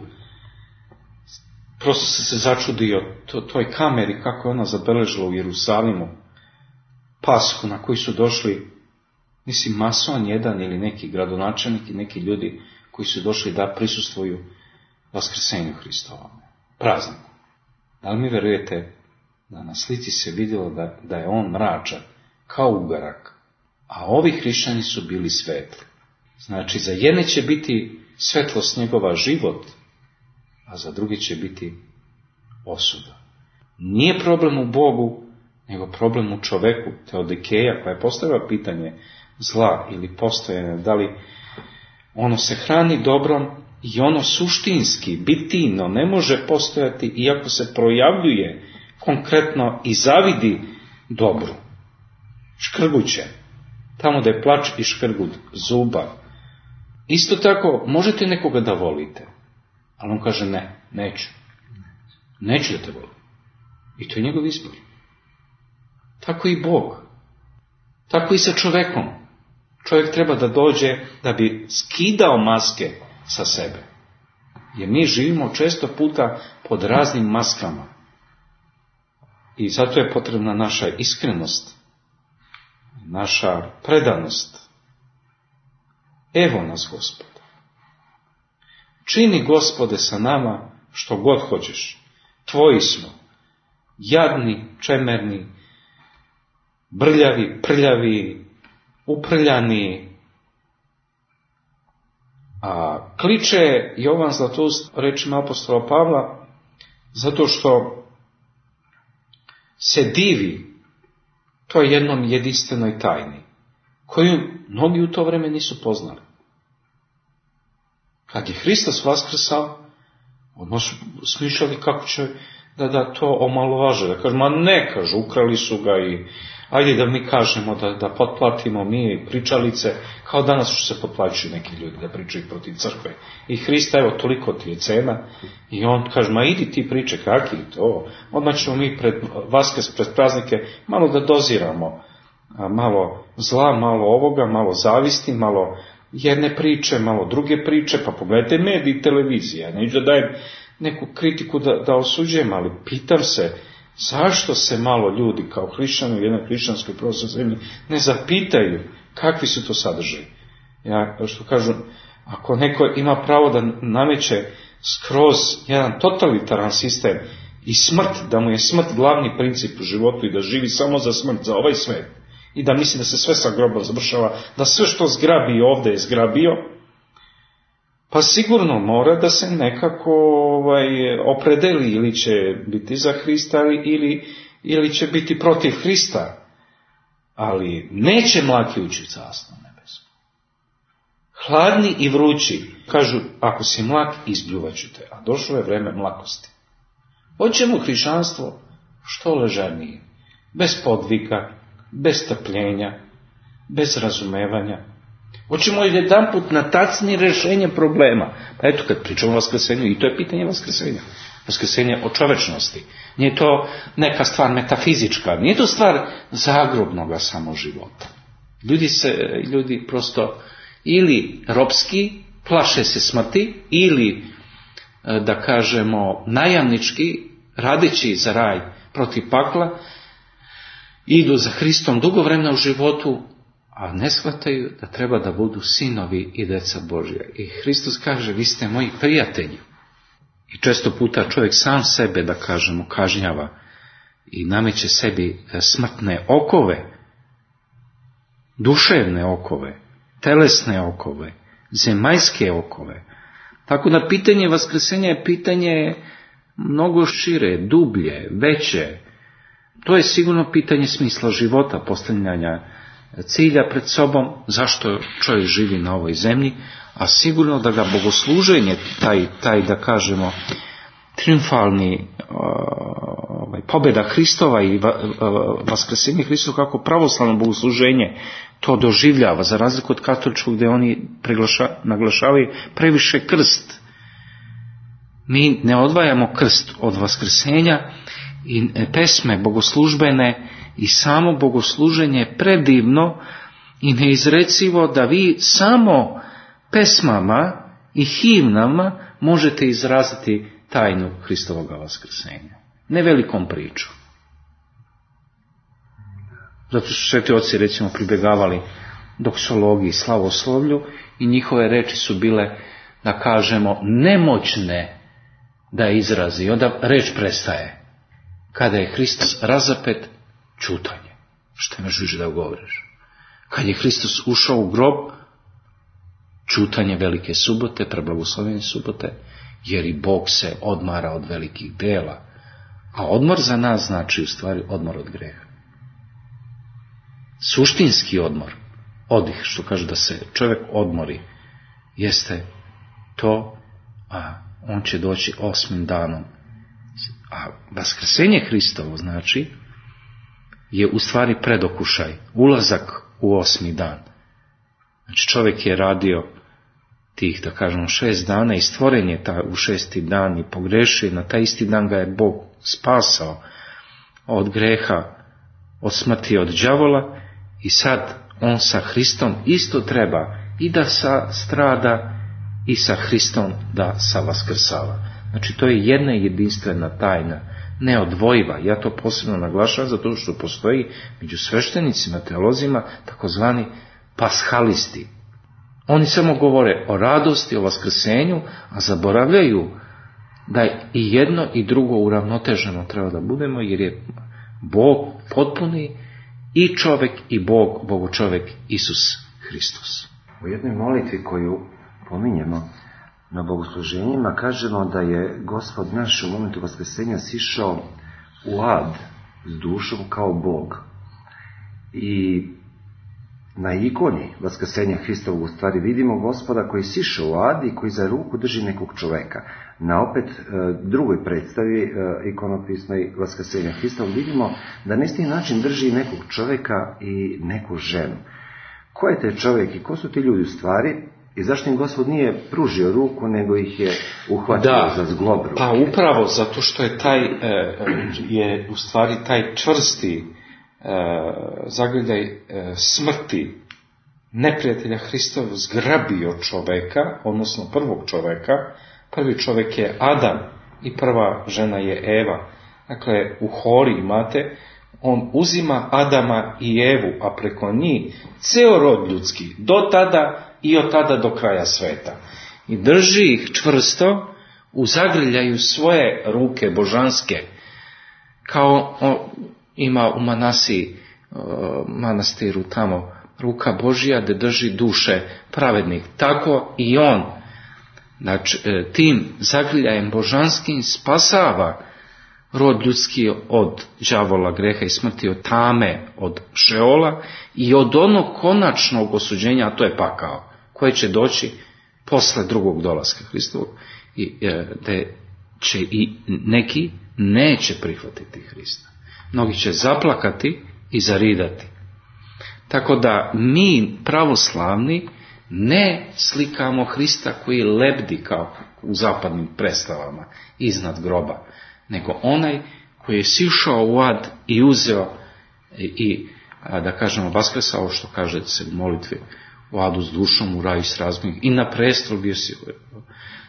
[SPEAKER 4] prosto sam se začudio to, toj kameri kako je ona zabeležila u Jerusalimu Pashu na koji su došli, mislim, mason jedan ili neki gradonačelnik i neki ljudi koji su došli da prisustvuju Vaskrsenju Hristovom, prazniku. Da li mi verujete da na slici se vidjelo da, da je on mračan, kao ugarak, a ovi hrišćani su bili svetli. Znači, za jedne će biti svetlost njegova život, a za drugi će biti osuda. Nije problem u Bogu, nego problem u čoveku, Teodikeja, koja je postavila pitanje zla ili postojanja, da li ono se hrani dobrom i ono suštinski, bitino, ne može postojati iako se projavljuje konkretno i zavidi dobru. Škrguće, tamo da je plač i škrgut zuba. Isto tako, možete nekoga da volite, ali on kaže ne, neću. Neću da te volim. I to je njegov izbor. Tako i Bog. Tako i sa čovekom. Čovjek treba da dođe da bi skidao maske sa sebe. Jer mi živimo često puta pod raznim maskama. I zato je potrebna naša iskrenost, naša predanost. Evo nas, Gospode. Čini, Gospode, sa nama što god hoćeš. Tvoji smo. Jadni, čemerni, brljavi, prljavi, uprljani. A kliče Jovan Zlatoust rečima apostola Pavla zato što se divi toj jednom jedinstvenoj tajni, koju mnogi u to vreme nisu poznali. Kad je Hristos vaskrsao, odmah su smišljali kako će da, da to omalovaže, da kažu, ma ne, kažu, ukrali su ga i ajde da mi kažemo, da, da potplatimo mi pričalice, kao danas što se potplaćuju neki ljudi da pričaju protiv crkve. I Hrista, evo, toliko ti je cena, i on kaže, ma idi ti priče, kaki to, odmah ćemo mi pred Vaskrs, pred praznike, malo da doziramo, malo zla, malo ovoga, malo zavisti, malo jedne priče, malo druge priče, pa pogledajte mediji i televizije, ja neću da dajem neku kritiku da, da osuđujem, ali pitam se, zašto se malo ljudi kao hrišćani u jednoj hrišćanskoj pravoslavnoj zemlji ne zapitaju kakvi su to sadržaji? Ja, što kažu, ako neko ima pravo da nameće skroz jedan totalitaran sistem i smrt, da mu je smrt glavni princip u životu i da živi samo za smrt, za ovaj svet, i da misli da se sve sa grobom završava, da sve što zgrabi ovdje je zgrabio, pa sigurno mora da se nekako ovaj, opredeli, ili će biti za Hrista ili, ili će biti protiv Hrista. Ali neće mlaki ući u carstvo nebesko. Hladni i vrući, kažu, ako si mlak, izbljuvat ću te, a došlo je vreme mlakosti. Hoćemo hrišćanstvo što ležernije, bez podvika, bez strpljenja, bez razumevanja. Hoćemo jedan put na tacni rješenje problema. Pa eto, kad pričamo o vaskrsenju, i to je pitanje vaskrsenja. Vaskrsenje o čovečnosti. Nije to neka stvar metafizička, nije to stvar zagrobnoga samo života. Ljudi se, ljudi prosto ili ropski plaše se smrti, ili, da kažemo, najamnički, radeći za raj protiv pakla, idu za Hristom dugo vremena u životu, a ne shvataju da treba da budu sinovi i deca Božja. I Hristos kaže, vi ste moji prijatelji. I često puta čovjek sam sebe, da kažemo, kažnjava i nameće sebi smrtne okove, duševne okove, telesne okove, zemaljske okove. Tako da pitanje vaskrsenja je pitanje mnogo šire, dublje, veće. To je sigurno pitanje smisla života, postavljanja cilja pred sobom, zašto čovjek živi na ovoj zemlji, a sigurno da ga bogosluženje, taj, taj da kažemo, triumfalni ovaj, pobjeda Hristova i va, vaskrsenje Hristova kako pravoslavno bogosluženje to doživljava, za razliku od katoličkog gdje oni preglaša, naglašavaju previše krst. Mi ne odvajamo krst od vaskrsenja i pesme bogoslužbene i samo bogosluženje je predivno i neizrecivo da vi samo pesmama i himnama možete izraziti tajnu Hristovoga vaskrsenja. Ne velikom pričom. Zato su sveti oci recimo pribjegavali doksologiji, slavoslovlju i njihove reči su bile, da kažemo, nemoćne da izrazi. Onda reč prestaje. Kada je Hristos razapet, ćutanje. Što imaš više da govoriš? Kad je Hristos ušao u grob, ćutanje velike subote, preblagoslovene subote, jer i Bog se odmara od velikih dela. A odmor za nas znači u stvari odmor od greha. Suštinski odmor, odih, što kaže da se čovjek odmori, jeste to, a on će doći osmim danom. A vaskrsenje Hristovo znači je u stvari predokušaj, ulazak u osmi dan. Znači čovjek je radio tih, da kažemo, šest dana i stvoren je ta u šesti dan i pogrešio, na taj isti dan ga je Bog spasao od greha, od smrti, od đavola i sad on sa Hristom isto treba i da sa strada i sa Hristom da sa vaskrsava. Znači to je jedna jedinstvena tajna, neodvojiva. Ja to posebno naglašavam zato što postoji među sveštenicima, teolozima, takozvani paschalisti. Oni samo govore o radosti, o vaskrsenju, a zaboravljaju da i jedno i drugo uravnoteženo treba da budemo, jer je Bog potpuni i čovjek i Bog, Bogu čovjek, Isus Hristos.
[SPEAKER 3] U jednoj molitvi koju pominjemo na bogosluženjima kažemo da je Gospod naš u momentu vaskrsenja sišao u ad s dušom kao Bog. I na ikoni vaskrsenja Hristovog u stvari vidimo Gospoda koji sišao u ad i koji za ruku drži nekog čoveka. Na opet drugoj predstavi ikonopisnoj vaskrsenja Hristovog vidimo da na isti način drži nekog čoveka i neku ženu. Ko je taj čovjek i ko su ti ljudi u stvari? I zašto im Gospod nije pružio ruku, nego ih je uhvatio da, za zglob ruke?
[SPEAKER 4] Pa upravo zato što je taj, je u stvari taj čvrsti zagrljaj smrti neprijatelja Hristov zgrabio čoveka, odnosno prvog čoveka. Prvi čovjek je Adam i prva žena je Eva. Dakle, u hori imate, on uzima Adama i Evu, a preko njih ceo rod ljudski, do tada i od tada do kraja sveta. I drži ih čvrsto u zagrljaju svoje ruke božanske, kao o, ima u Manasiji, o, manastiru tamo, ruka Božja da drži duše pravednih. Tako i on, znači, tim zagrljajem božanskim spasava rod ljudski od đavola, greha i smrti, od tame, od šeola i od onog konačnog osuđenja, a to je pakao, koje će doći posle drugog dolaska Hristovog, i da će i neki neće prihvatiti Hrista. Mnogi će zaplakati i zaridati. Tako da mi pravoslavni ne slikamo Hrista koji lebdi kao u zapadnim predstavama iznad groba, nego onaj koji je sišao u ad i uzeo i, da kažemo, vaskrsao, što kaže se u molitvi, u adu s dušom, u raju s razumom, i na prestol bio si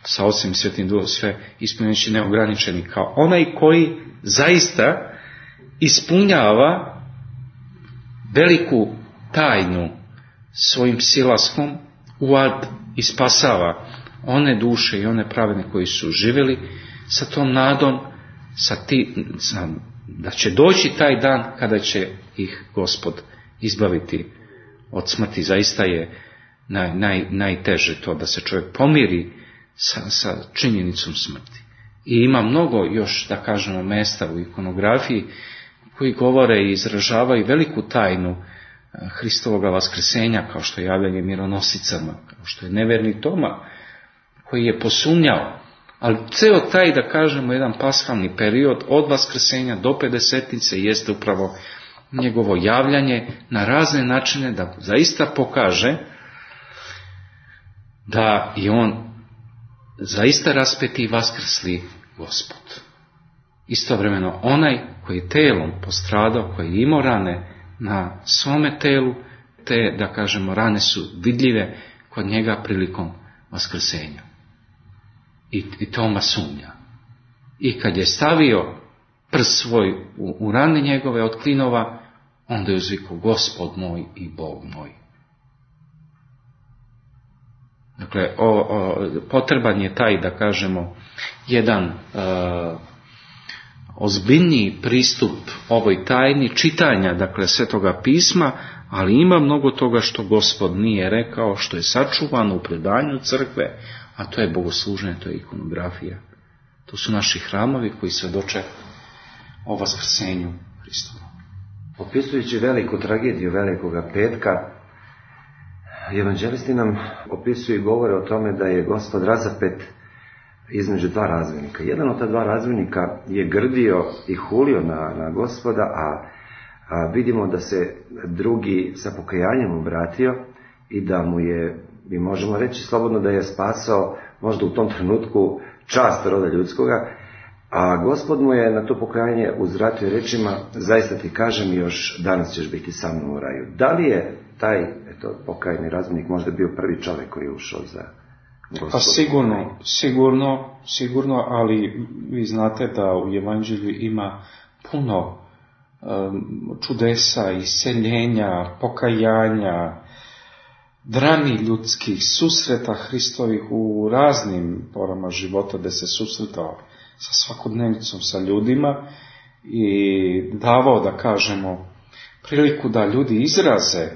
[SPEAKER 4] sa Ocem i Svetim Duhom, sve ispunjujući neograničeni, kao onaj koji zaista ispunjava veliku tajnu svojim silaskom u ad i spasava one duše i one pravedne koji su živjeli sa tom nadom, sa ti, sa, da će doći taj dan kada će ih Gospod izbaviti od smrti. Zaista je naj, naj, najteže to da se čovjek pomiri sa, sa činjenicom smrti. I ima mnogo još, da kažemo, mesta u ikonografiji koji govore i izražavaju veliku tajnu Hristovoga vaskrsenja, kao što je javljanje mironosicama, kao što je neverni Toma, koji je posumnjao. Ali ceo taj, da kažemo, jedan paskalni period od vaskrsenja do pedesetnice jeste upravo njegovo javljanje na razne načine da zaista pokaže da je on zaista raspeti i vaskrsli Gospod. Istovremeno onaj koji je telom postradao, koji je imao rane na svome telu, te, da kažemo, rane su vidljive kod njega prilikom vaskrsenja. I, i Toma sumnja. i kad je stavio prst svoj u, u rane njegove od klinova, onda je uzvikao Gospod moj i Bog moj. Dakle, o, o, potreban je taj, da kažemo, jedan e, ozbiljniji pristup ovoj tajni čitanja, dakle, Svetoga pisma, ali ima mnogo toga što Gospod nije rekao, što je sačuvano u predanju crkve, a to je bogosluženje, to je ikonografija. To su naši hramovi koji svedoče o vaskrsenju Hristova.
[SPEAKER 3] Opisujući veliku tragediju Velikoga petka, evanđelisti nam opisuju i govore o tome da je Gospod razapet između dva razbojnika. Jedan od ta dva razbojnika je grdio i hulio na, na Gospoda, a, a vidimo da se drugi sa pokajanjem obratio i da mu je, mi možemo reći slobodno, da je spasao možda u tom trenutku čast roda ljudskoga, a Gospod mu je na to pokajanje uzvratio rečima: zaista ti kažem, još danas ćeš biti sa mnom u raju. Da li je taj eto, pokajni razbojnik možda bio prvi čovjek koji je ušao za Gospod?
[SPEAKER 4] Pa sigurno, sigurno, sigurno, ali vi znate da u Evanđelju ima puno um, čudesa, iseljenja, pokajanja, drami ljudskih, susreta Hristovih u raznim porama života, da se susretao sa svakodnevnicom, sa ljudima i davao, da kažemo, priliku da ljudi izraze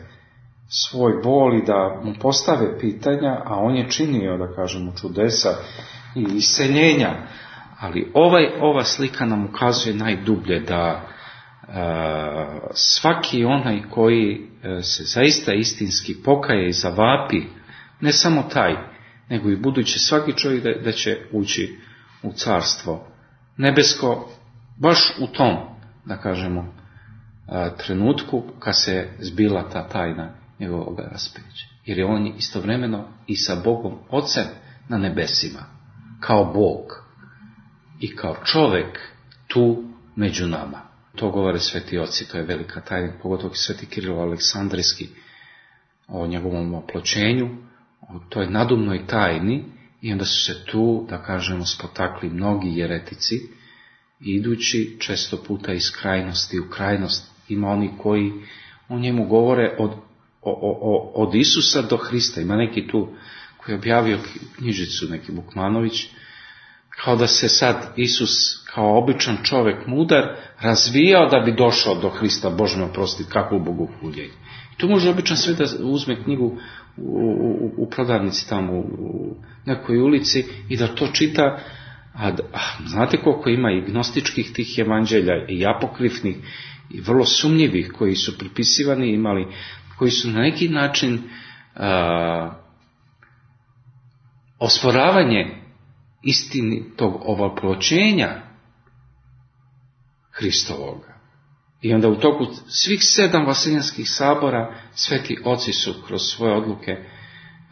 [SPEAKER 4] svoj bol i da mu postave pitanja, a on je činio, da kažemo, čudesa i iseljenja. Ali ovaj, ova slika nam ukazuje najdublje da a, svaki onaj koji a, se zaista istinski pokaje i zavapi, ne samo taj, nego i budući svaki čovjek da, da će ući u carstvo nebesko, baš u tom, da kažemo, a, trenutku kad se zbila ta tajna njegovog raspeća. Jer je on istovremeno i sa Bogom Ocem na nebesima, kao Bog i kao čovjek tu među nama. To govore sveti oci, to je velika tajna, pogotovo sveti Kirilo Aleksandrijski o njegovom oploćenju, o toj nadumnoj tajni, i onda su se tu, da kažemo, spotakli mnogi jeretici, idući često puta iz krajnosti u krajnost. Ima oni koji o njemu govore od, o, o, od Isusa do Hrista. Ima neki tu koji je objavio knjižicu, neki Bukmanović, kao da se sad Isus kao običan čovjek mudar razvijao da bi došao do Hrista. Bože me oprosti, kako bogohuljenje. I tu može običan sve da uzme knjigu u, u, u prodavnici tamo u, u nekoj ulici i da to čita. A, a znate koliko ima i gnostičkih tih evanđelja i apokrifnih i vrlo sumnjivih koji su pripisivani, imali, koji su na neki način a, osporavanje istinitog ovoploćenja Hristovoga. I onda u toku svih sedam vaseljanskih sabora sveti oci su kroz svoje odluke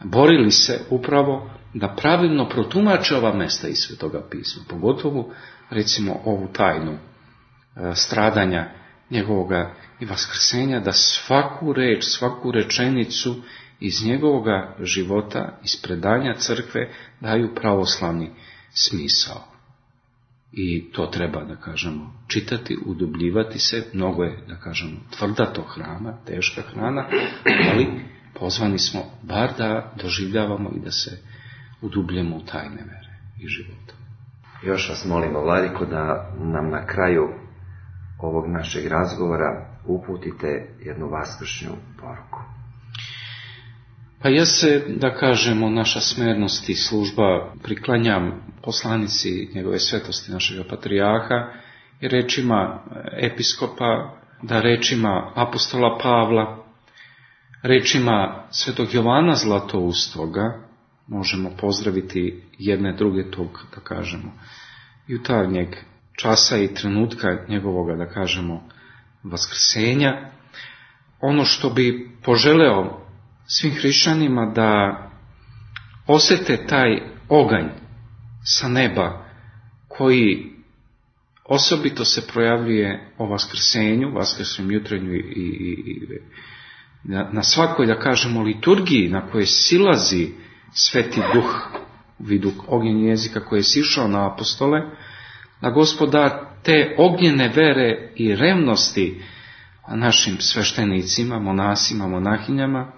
[SPEAKER 4] borili se upravo da pravilno protumače ova mesta iz Svetoga pisma, pogotovo recimo ovu tajnu e, stradanja njegovoga i vaskrsenja, da svaku reč, svaku rečenicu iz njegovoga života, iz predanja crkve daju pravoslavni smisao. I to treba, da kažemo, čitati, udubljivati se. Mnogo je, da kažemo, tvrda to hrana, teška hrana, ali pozvani smo bar da doživljavamo i da se udubljemo u tajne vere i života.
[SPEAKER 3] Još vas molimo, Vladiko, da nam na kraju ovog našeg razgovora uputite jednu vaskršnju poruku.
[SPEAKER 4] Pa ja se, da kažemo, naša smernost i služba priklanjam poslanici njegove svetosti našega patrijarha i rečima episkopa, da rečima apostola Pavla, rečima svetog Jovana Zlatoustoga možemo pozdraviti jedne druge tog, da kažemo, jutarnjeg časa i trenutka njegovoga, da kažemo, vaskrsenja. Ono što bi poželeo svim hrišćanima da osjete taj oganj sa neba koji osobito se projavljuje o vaskrsenju, vaskrsnom jutrenju i, i, i na, na svakoj, da kažemo, liturgiji na kojoj silazi Sveti Duh u vidu ognjen jezika koji je sišao na apostole, da Gospod da te ognjene vere i revnosti našim sveštenicima, monasima, monahinjama,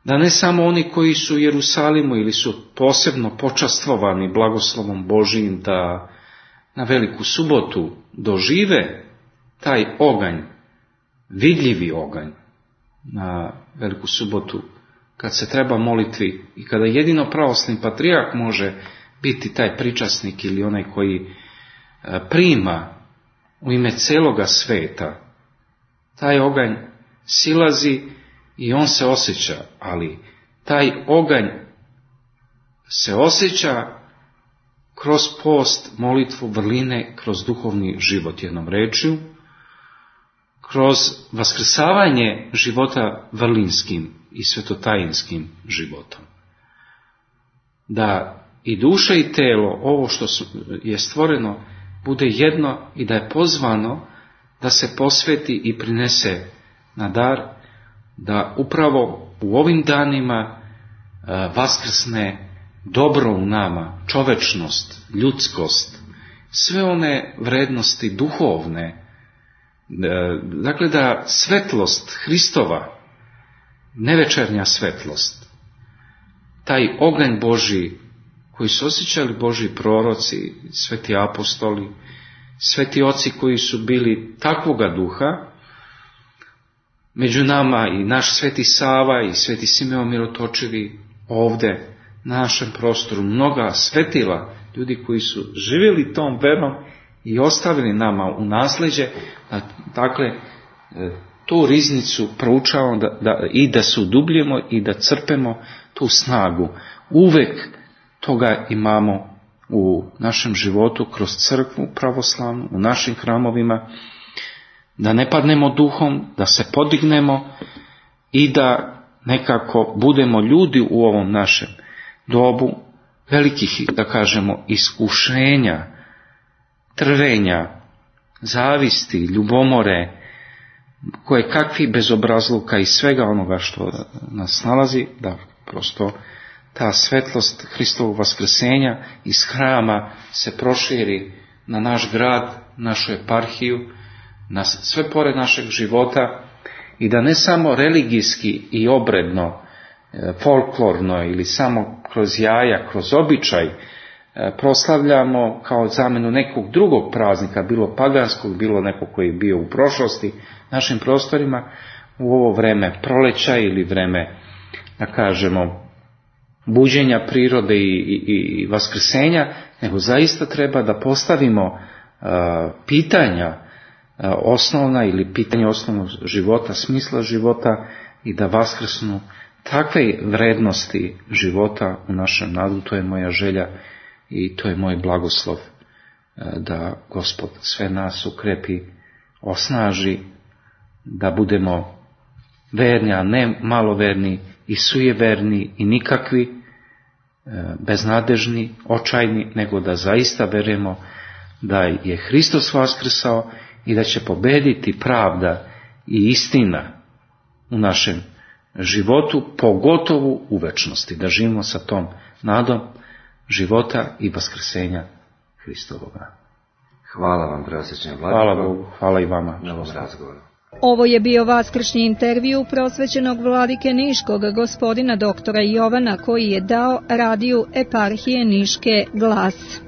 [SPEAKER 4] da ne samo oni koji su u Jerusalimu ili su posebno počastvovani blagoslovom Božijim da na Veliku subotu dožive taj oganj, vidljivi oganj na Veliku subotu, kad se treba molitvi i kada jedino pravoslavni patrijarh može biti taj pričasnik ili onaj koji prima u ime celoga sveta, taj oganj silazi i on se osjeća, ali taj oganj se osjeća kroz post, molitvu, vrline, kroz duhovni život, jednom rečju, kroz vaskrsavanje života vrlinskim i svetotajinskim životom. Da i duša i telo, ovo što je stvoreno, bude jedno i da je pozvano da se posveti i prinese na dar, da upravo u ovim danima vaskrsne dobro u nama, čovečnost, ljudskost, sve one vrednosti duhovne, dakle da svetlost Hristova, nevečernja svetlost, taj oganj Božji koji su osjećali Božji proroci, sveti apostoli, sveti oci koji su bili takvoga duha, među nama i naš sveti Sava i sveti Simeon Mirotočivi ovde na našem prostoru, mnoga svetila, ljudi koji su živjeli tom verom i ostavili nama u nasleđe, da, dakle, tu riznicu proučavamo da, da, i da se udubljemo i da crpemo tu snagu. Uvek toga imamo u našem životu kroz crkvu pravoslavnu, u našim hramovima, da ne padnemo duhom, da se podignemo i da nekako budemo ljudi u ovom našem dobu velikih, da kažemo, iskušenja, trvenja, zavisti, ljubomore, koje kakvi bezobrazluka i svega onoga što nas nalazi, da prosto ta svetlost Hristovog vaskrsenja iz hrama se proširi na naš grad, našu eparhiju, na sve pored našeg života i da ne samo religijski i obredno, folklorno ili samo kroz jaja, kroz običaj proslavljamo kao zamenu nekog drugog praznika, bilo paganskog, bilo nekog koji je bio u prošlosti našim prostorima, u ovo vreme proleća ili vreme, da kažemo, buđenja prirode i, i, i vaskrsenja, nego zaista treba da postavimo uh, pitanja uh, osnovna ili pitanje osnovnog života, smisla života i da vaskrsnu takve vrednosti života u našem narodu. To je moja želja i to je moj blagoslov, uh, da Gospod sve nas ukrepi, osnaži, da budemo verni, a ne maloverni i sujeverni i nikakvi, beznadežni, očajni, nego da zaista verujemo da je Hristos vaskrsao i da će pobediti pravda i istina u našem životu, pogotovo u večnosti, da živimo sa tom nadom života i vaskrsenja Hristovoga.
[SPEAKER 3] Hvala vam, preosvećeni vladiko.
[SPEAKER 4] Hvala Bogu, hvala i vama
[SPEAKER 3] na ovom razgovoru.
[SPEAKER 2] Ovo je bio vaskršnji intervju prosvećenog vladike Niškog, gospodina doktora Jovana, koji je dao radiju eparhije Niške Glas.